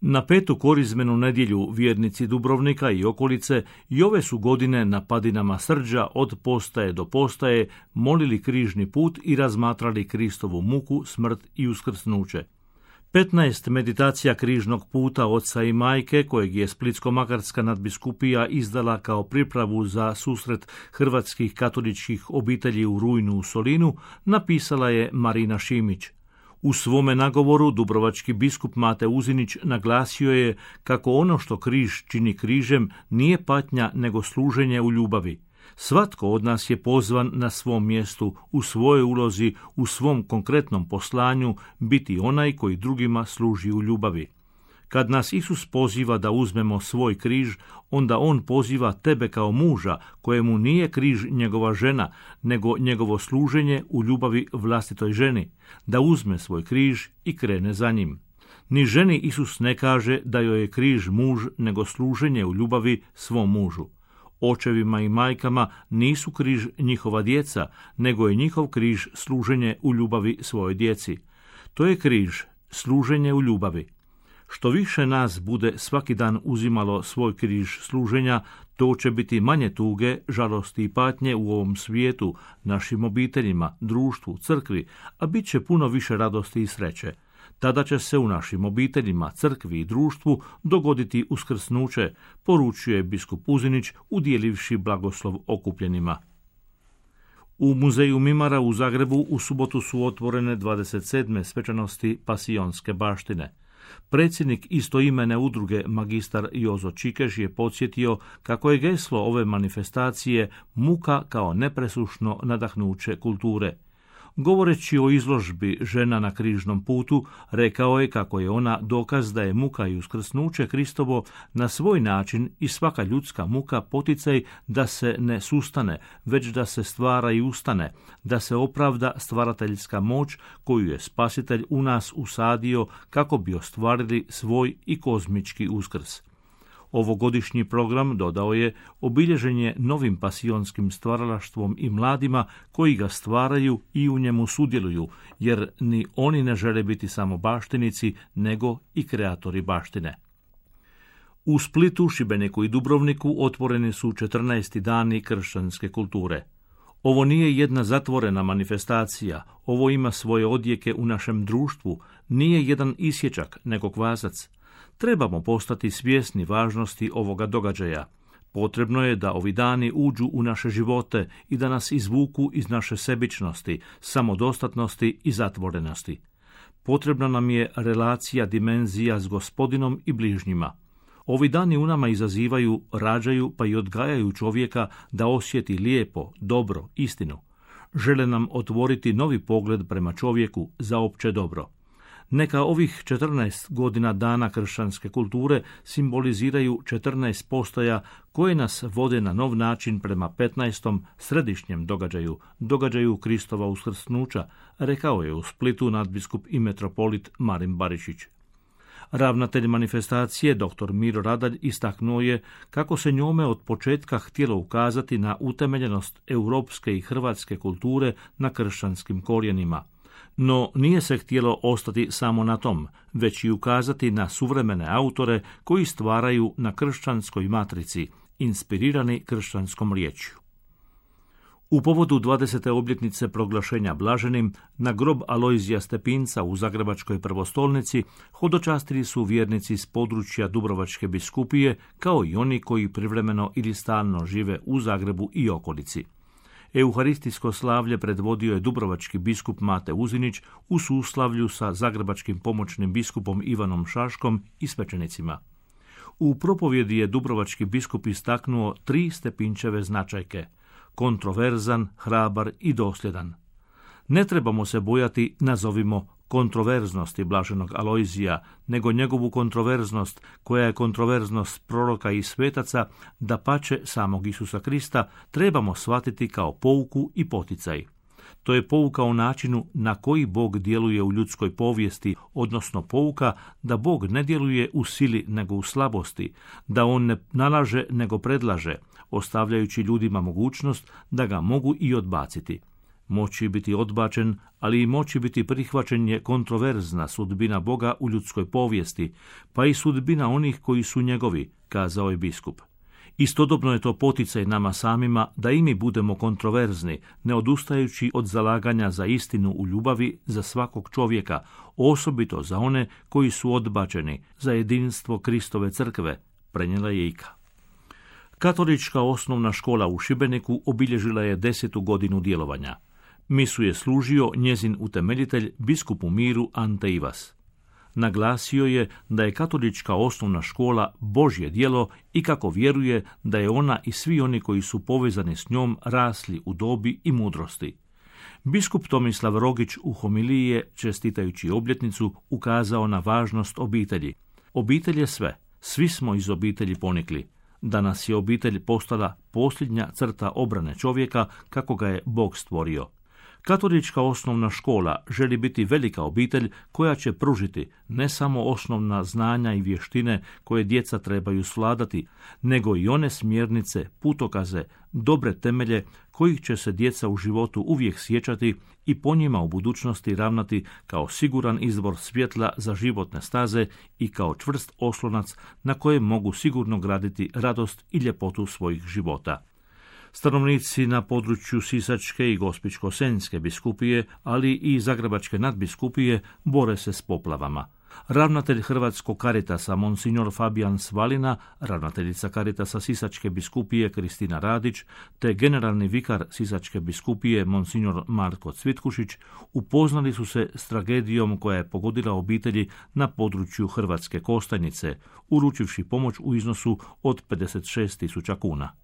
Na petu korizmenu nedjelju vjernici Dubrovnika i okolice i ove su godine na padinama Srđa od postaje do postaje molili križni put i razmatrali Kristovu muku, smrt i uskrsnuće. 15 meditacija križnog puta oca i majke, kojeg je Splitsko-makarska nadbiskupija izdala kao pripravu za susret hrvatskih katoličkih obitelji u rujnu u Solinu, napisala je Marina Šimić. U svome nagovoru dubrovački biskup Mate Uzinić naglasio je kako ono što križ čini križem nije patnja nego služenje u ljubavi. Svatko od nas je pozvan na svom mjestu, u svojoj ulozi, u svom konkretnom poslanju, biti onaj koji drugima služi u ljubavi. Kad nas Isus poziva da uzmemo svoj križ, onda on poziva tebe kao muža, kojemu nije križ njegova žena, nego njegovo služenje u ljubavi vlastitoj ženi, da uzme svoj križ i krene za njim. Ni ženi Isus ne kaže da joj je križ muž, nego služenje u ljubavi svom mužu. Očevima i majkama nisu križ njihova djeca, nego je njihov križ služenje u ljubavi svojoj djeci. To je križ, služenje u ljubavi. Što više nas bude svaki dan uzimalo svoj križ služenja, to će biti manje tuge, žalosti i patnje u ovom svijetu, našim obiteljima, društvu, crkvi, a bit će puno više radosti i sreće. Tada će se u našim obiteljima, crkvi i društvu dogoditi uskrsnuće, poručuje biskup Uzinić, udjelivši blagoslov okupljenima. U muzeju Mimara u Zagrebu u subotu su otvorene 27. svečanosti Pasionske baštine. Predsjednik istoimene udruge magistar Jozo Čikeš je podsjetio kako je geslo ove manifestacije muka kao nepresušno nadahnuće kulture. Govoreći o izložbi Žena na križnom putu, rekao je kako je ona dokaz da je muka i uskrsnuće Kristovo na svoj način i svaka ljudska muka poticaj da se ne sustane, već da se stvara i ustane, da se opravda stvarateljska moć koju je Spasitelj u nas usadio kako bi ostvarili svoj i kozmički uskrs. Ovogodišnji program, dodao je, obilježen je novim pasionskim stvaralaštvom i mladima koji ga stvaraju i u njemu sudjeluju, jer ni oni ne žele biti samo baštinici, nego i kreatori baštine. U Splitu, Šibeniku i Dubrovniku otvoreni su 14. dani kršćanske kulture. Ovo nije jedna zatvorena manifestacija, ovo ima svoje odjeke u našem društvu, nije jedan isječak, nego kvasac. Trebamo postati svjesni važnosti ovoga događaja. Potrebno je da ovi dani uđu u naše živote i da nas izvuku iz naše sebičnosti, samodostatnosti i zatvorenosti. Potrebna nam je relacija, dimenzija s Gospodinom i bližnjima. Ovi dani u nama izazivaju, rađaju pa i odgajaju čovjeka da osjeti lijepo, dobro, istinu. Žele nam otvoriti novi pogled prema čovjeku za opće dobro. Neka ovih 14 godina dana kršćanske kulture simboliziraju 14 postaja koje nas vode na nov način prema 15. središnjem događaju Kristova uskrsnuća, rekao je u Splitu nadbiskup i metropolit Marin Barišić. Ravnatelj manifestacije, dr. Miro Radalj, istaknuo je kako se njome od početka htjelo ukazati na utemeljenost europske i hrvatske kulture na kršćanskim korijenima. No nije se htjelo ostati samo na tom, već i ukazati na suvremene autore koji stvaraju na kršćanskoj matrici, inspirirani kršćanskom riječju. U povodu 20. obljetnice proglašenja blaženim, na grob Alojzija Stepinca u Zagrebačkoj prvostolnici hodočastili su vjernici s područja Dubrovačke biskupije, kao i oni koji privremeno ili stalno žive u Zagrebu i okolici. Euharistijsko slavlje predvodio je dubrovački biskup Mate Uzinić u suslavlju sa zagrebačkim pomoćnim biskupom Ivanom Šaškom i svećenicima. U propovjedi je dubrovački biskup istaknuo 3 Stepinčeve značajke: kontroverzan, hrabar i dosljedan. Ne trebamo se bojati, nazovimo, kontroverznosti blaženog Alojzija, nego njegovu kontroverznost, koja je kontroverznost proroka i svetaca, dapače samog Isusa Krista, trebamo shvatiti kao pouku i poticaj. To je pouka o načinu na koji Bog djeluje u ljudskoj povijesti, odnosno pouka da Bog ne djeluje u sili nego u slabosti, da on ne nalaže nego predlaže, ostavljajući ljudima mogućnost da ga mogu i odbaciti. Moći biti odbačen, ali i moći biti prihvaćen je kontroverzna sudbina Boga u ljudskoj povijesti, pa i sudbina onih koji su njegovi, kazao je biskup. Istodobno je to poticaj nama samima da i mi budemo kontroverzni, ne odustajući od zalaganja za istinu u ljubavi za svakog čovjeka, osobito za one koji su odbačeni, za jedinstvo Kristove crkve, prenijela je Ika. Katolička osnovna škola u Šibeniku obilježila je 10. godinu djelovanja. Misu je služio njezin utemeljitelj, biskup u miru Ante Ivas. Naglasio je da je katolička osnovna škola Božje djelo i kako vjeruje da je ona i svi oni koji su povezani s njom rasli u dobi i mudrosti. Biskup Tomislav Rogić u homiliji je, čestitajući obljetnicu, ukazao na važnost obitelji. Obitelj je sve, svi smo iz obitelji ponikli. Danas je obitelj postala posljednja crta obrane čovjeka kako ga je Bog stvorio. Katolička osnovna škola želi biti velika obitelj koja će pružiti ne samo osnovna znanja i vještine koje djeca trebaju svladati, nego i one smjernice, putokaze, dobre temelje kojih će se djeca u životu uvijek sjećati i po njima u budućnosti ravnati kao siguran izvor svjetla za životne staze i kao čvrst oslonac na kojem mogu sigurno graditi radost i ljepotu svojih života. Stanovnici na području Sisačke i Gospićko-senjske biskupije, ali i Zagrebačke nadbiskupije bore se s poplavama. Ravnatelj Hrvatskog Karitasa monsignor Fabijan Svalina, ravnateljica Karitasa Sisačke biskupije Kristina Radić, te generalni vikar Sisačke biskupije monsignor Marko Cvitkušić upoznali su se s tragedijom koja je pogodila obitelji na području Hrvatske Kostajnice, uručivši pomoć u iznosu od 56.000 kuna.